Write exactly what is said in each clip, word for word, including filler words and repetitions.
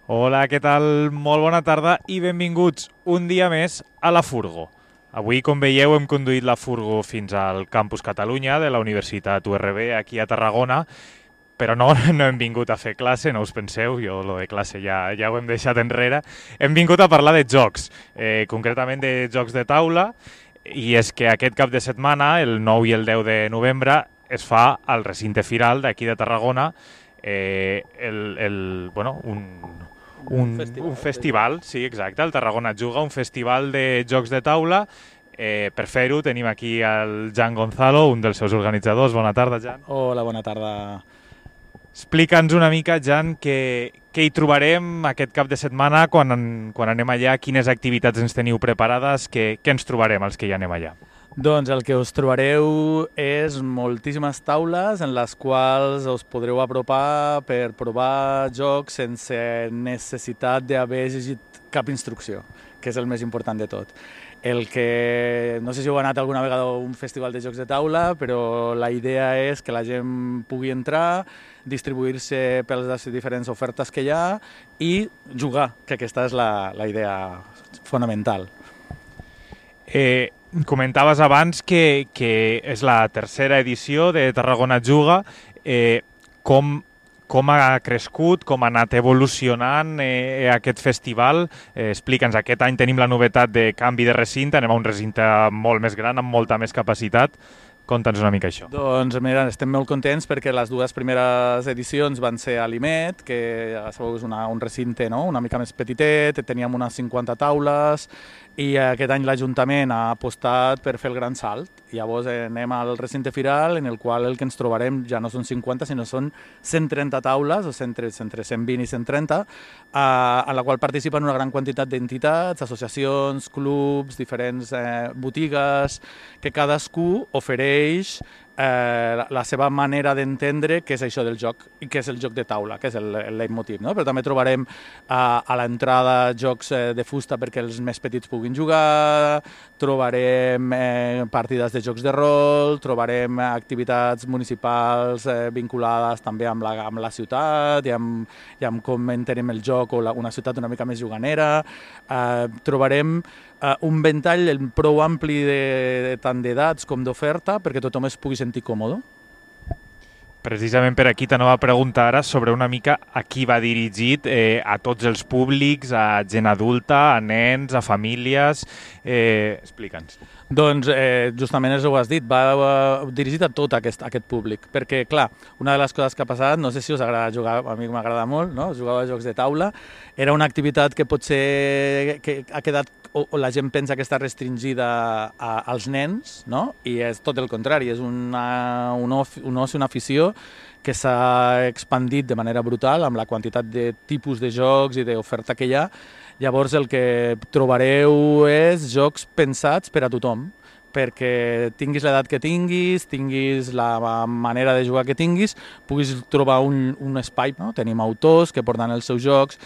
Hola, què tal? Molt bona tarda i benvinguts un dia més a la Furgo. Avui, com veieu, hem conduït la Furgo fins al Campus Catalunya de la Universitat U R B aquí a Tarragona, però no, no hem vingut a fer classe, no us penseu, jo lo de classe ja, ja ho hem deixat enrere. Hem vingut a parlar de jocs, eh, concretament de jocs de taula, i és que aquest cap de setmana, el nou i el deu de novembre, es fa al recinte firal d'aquí de Tarragona eh, el, el, bueno, un, un, festival, un festival, sí, exacte, el Tarragona Juga, un festival de jocs de taula. Eh, per fer-ho tenim aquí el Jan Gonzalo, un dels seus organitzadors. Bona tarda, Jan. Hola, bona tarda. Explica'ns una mica, Jan, què, què hi trobarem aquest cap de setmana quan, quan anem allà, quines activitats ens teniu preparades, què, què ens trobarem els que hi anem allà? Doncs el que us trobareu és moltíssimes taules en les quals us podreu apropar per provar jocs sense necessitat d'haver llegit cap instrucció, que és el més important de tot. El que, no sé si heu anat alguna vegada a un festival de jocs de taula, però la idea és que la gent pugui entrar, distribuir-se per les diferents ofertes que hi ha i jugar, que aquesta és la, la idea fonamental. Eh, comentaves abans que, que és la tercera edició de Tarragona Juga. Eh, com, com ha crescut, com ha anat evolucionant eh, aquest festival? Eh, Explica'ns, aquest any tenim la novetat de canvi de recinte, anem a un recinte molt més gran, amb molta més capacitat. Conta'ns una mica això. Doncs mira, estem molt contents perquè les dues primeres edicions van ser a l'Imet, que ja sabeu és una, un recinte no? una mica més petitet, teníem unes cinquanta taules i aquest any l'Ajuntament ha apostat per fer el gran salt. Llavors anem al recinte firal en el qual el que ens trobarem ja no són cinquanta sinó són cent trenta taules, o entre cent vint i cent trenta, eh, en la qual participen una gran quantitat d'entitats, associacions, clubs, diferents eh, botigues, que cadascú ofereix Eh, la seva manera d'entendre què és això del joc i què és el joc de taula, que és el, el leitmotiv, no? Però també trobarem eh, a l'entrada jocs eh, de fusta perquè els més petits puguin jugar, trobarem eh, partides de jocs de rol, trobarem activitats municipals eh, vinculades també amb la, amb la ciutat i amb, i amb com entenem el joc o la, una ciutat una mica més juganera, eh, trobarem Uh, un ventall prou ampli de, de tant d'edats com d'oferta perquè tothom es pugui sentir còmode. Precisament per aquí t'anava a preguntar ara sobre una mica a qui va dirigit, eh, a tots els públics, a gent adulta, a nens, a famílies. Eh, Explica'ns. Doncs eh, justament això ho has dit, va, va dirigit a tot aquest, aquest públic, perquè clar, una de les coses que ha passat, no sé si us agrada jugar, a mi m'agrada molt, no? Jugar a jocs de taula, era una activitat que potser que ha quedat, o, o la gent pensa que està restringida a, als nens, no? I és tot el contrari, és una, un, oci, un oci, una afició que s'ha expandit de manera brutal amb la quantitat de tipus de jocs i d'oferta que hi ha. Llavors el que trobareu és jocs pensats per a tothom, perquè tinguis l'edat que tinguis, tinguis la manera de jugar que tinguis, puguis trobar un, un espai. No? Tenim autors que porten els seus jocs,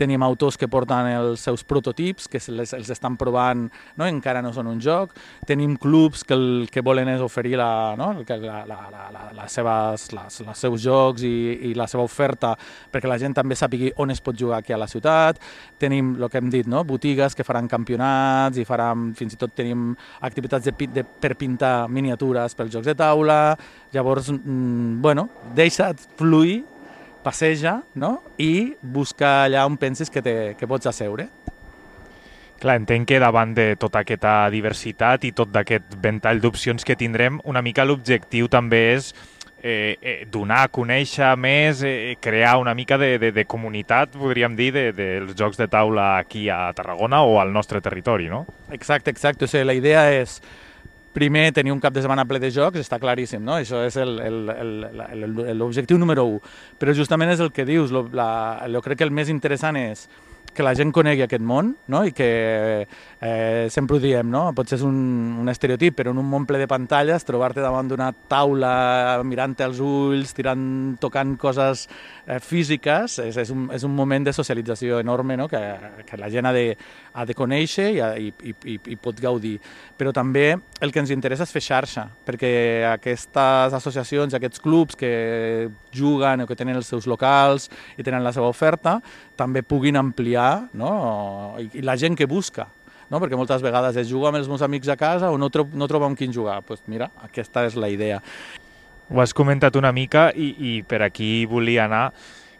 tenim autors que porten els seus prototips, que els, els estan provant, no? Encara no són un joc, tenim clubs que el que volen és oferir la, no? la, la, la, la, les seves, les, els seus jocs i, i la seva oferta perquè la gent també sàpigui on es pot jugar aquí a la ciutat. Tenim el que hem dit, no? Botigues que faran campionats i faran, fins i tot tenim activitats de, de, per pintar miniatures pels jocs de taula. Llavors, mm, bueno, deixa't fluir, passeja, no? I busca allà on pensis que, te, que pots asseure. Clar, entenc que davant de tota aquesta diversitat i tot d'aquest ventall d'opcions que tindrem, una mica l'objectiu també és eh, eh, donar a conèixer més, eh, crear una mica de, de, de comunitat, podríem dir, dels de, de jocs de taula aquí a Tarragona o al nostre territori, no? Exacte, exacte. O sigui, la idea és primer, tenir un cap de setmana ple de jocs, està claríssim, no? Això és l'objectiu número u. Però justament és el que dius, lo, la, jo crec que el més interessant és que la gent conegui aquest món, no? I que eh, sempre ho diem, no? Potser és un, un estereotip, però en un món ple de pantalles, trobar-te davant d'una taula, mirant-te als ulls, tirant, tocant coses eh, físiques, és, és, un, és un moment de socialització enorme, no? que, que la gent ha de, ha de conèixer i, i, i, i pot gaudir. Però també el que ens interessa és fer xarxa, perquè aquestes associacions, aquests clubs que juguen o que tenen els seus locals i tenen la seva oferta, també puguin ampliar, no? I, i la gent que busca, no? Perquè moltes vegades es juga amb els meus amics a casa o no, tro no trobo amb qui jugar. Pues mira, aquesta és la idea. Ho has comentat una mica i, i per aquí volia anar.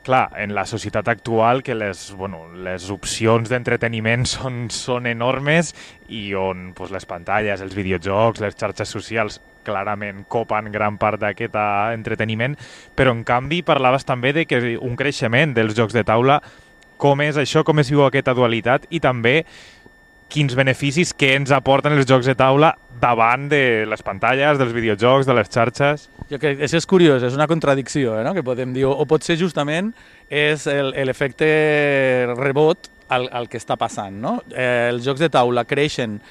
Clar, en la societat actual que les, bueno, les opcions d'entreteniment són, són enormes i on pues, les pantalles, els videojocs, les xarxes socials clarament copen gran part d'aquest entreteniment, però en canvi parlaves també de que un creixement dels jocs de taula, com és això, com es viu aquesta dualitat i també quins beneficis que ens aporten els jocs de taula davant de les pantalles, dels videojocs, de les xarxes. Jo crec que això és curiós, és una contradicció, eh, no? Que podem dir, o pot ser justament és l'efecte rebot al, al que està passant, no? Eh, els jocs de taula creixen,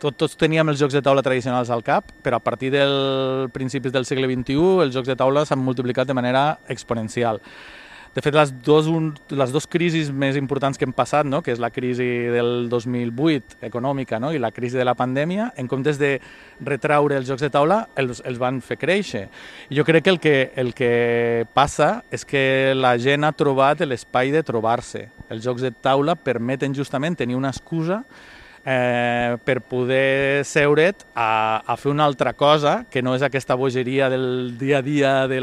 tot, tots teníem els jocs de taula tradicionals al cap, però a partir dels principis del segle vint-i-u els jocs de taula s'han multiplicat de manera exponencial. De fet, les dos, un, les dos crisis més importants que hem passat, no? Que és la crisi del dos mil vuit econòmica, no? I la crisi de la pandèmia, en comptes de retraure els jocs de taula, els, els van fer créixer. I jo crec que el, que el que passa és que la gent ha trobat l'espai de trobar-se. Els jocs de taula permeten justament tenir una excusa Eh, per poder seure't a, a fer una altra cosa que no és aquesta bogeria del dia a dia, de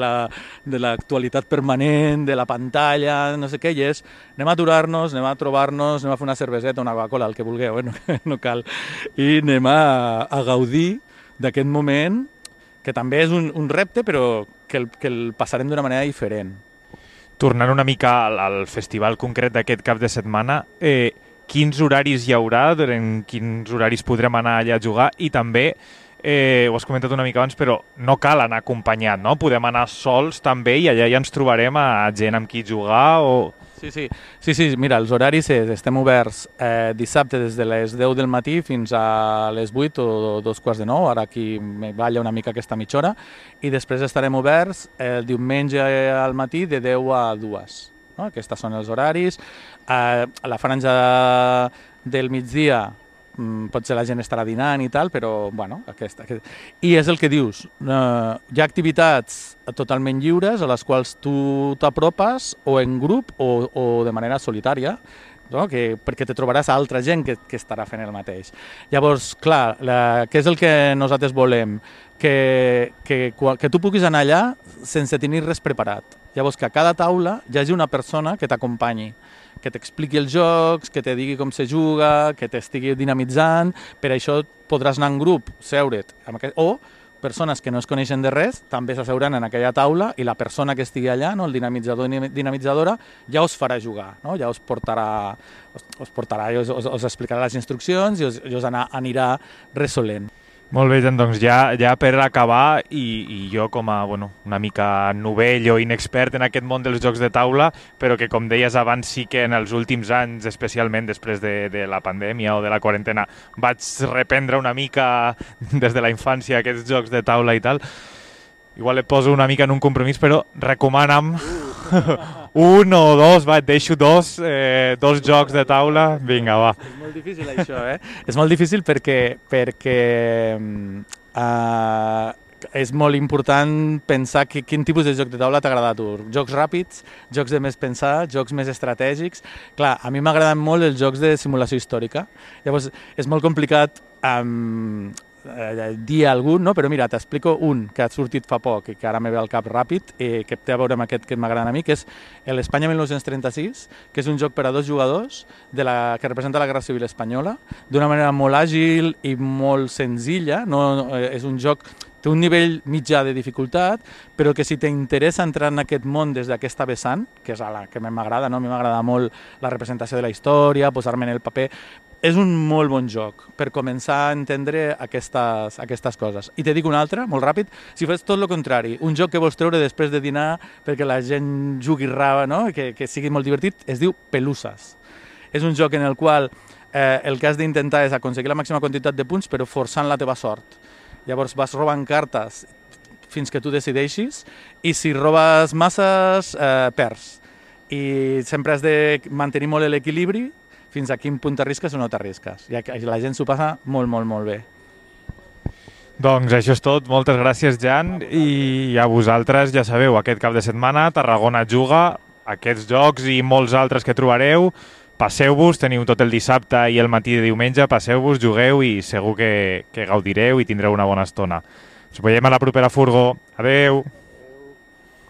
l'actualitat la, permanent, de la pantalla, no sé què, i és anem a aturar-nos, anem a trobar-nos, anem a fer una cerveseta, una Coca-Cola, el que vulgueu, eh? no, no cal, i anem a, a gaudir d'aquest moment que també és un, un repte, però que el, que el passarem d'una manera diferent. Tornant una mica al, al festival concret d'aquest cap de setmana, eh, quins horaris hi haurà, en quins horaris podrem anar allà a jugar i també, eh, ho has comentat una mica abans, però no cal anar acompanyat, no? Podem anar sols també i allà ja ens trobarem a gent amb qui jugar o... Sí, sí, sí, sí, mira, els horaris és, estem oberts eh, dissabte des de les deu del matí fins a les vuit o dos quarts de nou, ara aquí me balla una mica aquesta mitja hora, i després estarem oberts el diumenge al matí de deu a dues. No? Aquests són els horaris. Eh, a la franja del migdia mm, potser la gent estarà dinant i tal, però bueno, aquesta, aquest... I és el que dius, eh, hi ha activitats totalment lliures a les quals tu t'apropes o en grup o, o de manera solitària, no? que, perquè te trobaràs altra gent que, que estarà fent el mateix. Llavors, clar, la, què és el que nosaltres volem? Que, que, que tu puguis anar allà sense tenir res preparat. Llavors, que a cada taula hi hagi una persona que t'acompanyi, que t'expliqui els jocs, que te digui com se juga, que t'estigui dinamitzant. Per això podràs anar en grup, seure't, amb aquest... o persones que no es coneixen de res també s'asseuran en aquella taula i la persona que estigui allà, no, el dinamitzador o dinamitzadora, ja us farà jugar, no? Ja us portarà, us, us portarà i us, us, us explicarà les instruccions i us, i us anar, anirà resolent. Molt bé, doncs ja, ja per acabar, i, i jo com a bueno, una mica novell o inexpert en aquest món dels jocs de taula, però que com deies abans sí que en els últims anys, especialment després de, de la pandèmia o de la quarantena, vaig reprendre una mica des de la infància aquests jocs de taula i tal. Igual et poso una mica en un compromís, però recomana'm un o dos, va, et deixo dos, eh, dos jocs de taula, vinga, va. És molt difícil això, eh? És molt difícil perquè, perquè uh, és molt important pensar que, quin tipus de joc de taula t'agrada a tu. Jocs ràpids, jocs de més pensar, jocs més estratègics. Clar, a mi m'agraden molt els jocs de simulació històrica. Llavors, és molt complicat um, eh, dir algun, no? Però mira, t'explico un que ha sortit fa poc i que ara me ve al cap ràpid, eh, que té a veure amb aquest que m'agrada a mi, que és l'Espanya mil nou-cents trenta-sis, que és un joc per a dos jugadors de la, que representa la Guerra Civil Espanyola, d'una manera molt àgil i molt senzilla. No, eh, és un joc... Té un nivell mitjà de dificultat, però que si t'interessa entrar en aquest món des d'aquesta vessant, que és a la que m'agrada, no? A mi m'agrada molt la representació de la història, posar-me en el paper, és un molt bon joc per començar a entendre aquestes, aquestes coses. I te dic un altre, molt ràpid, si fes tot el contrari, un joc que vols treure després de dinar perquè la gent jugui rava, no? que, que sigui molt divertit, es diu Peluses. És un joc en el qual eh, el que has d'intentar és aconseguir la màxima quantitat de punts però forçant la teva sort. Llavors vas robant cartes fins que tu decideixis i si robes masses eh, perds. I sempre has de mantenir molt l'equilibri fins a quin punt t'arrisques o no t'arrisques. I la gent s'ho passa molt, molt, molt bé. Doncs això és tot. Moltes gràcies, Jan. I a vosaltres, ja sabeu, aquest cap de setmana Tarragona juga, aquests jocs i molts altres que trobareu. Passeu-vos, teniu tot el dissabte i el matí de diumenge, passeu-vos, jugueu i segur que, que gaudireu i tindreu una bona estona. Ens veiem a la propera Furgo. Adeu!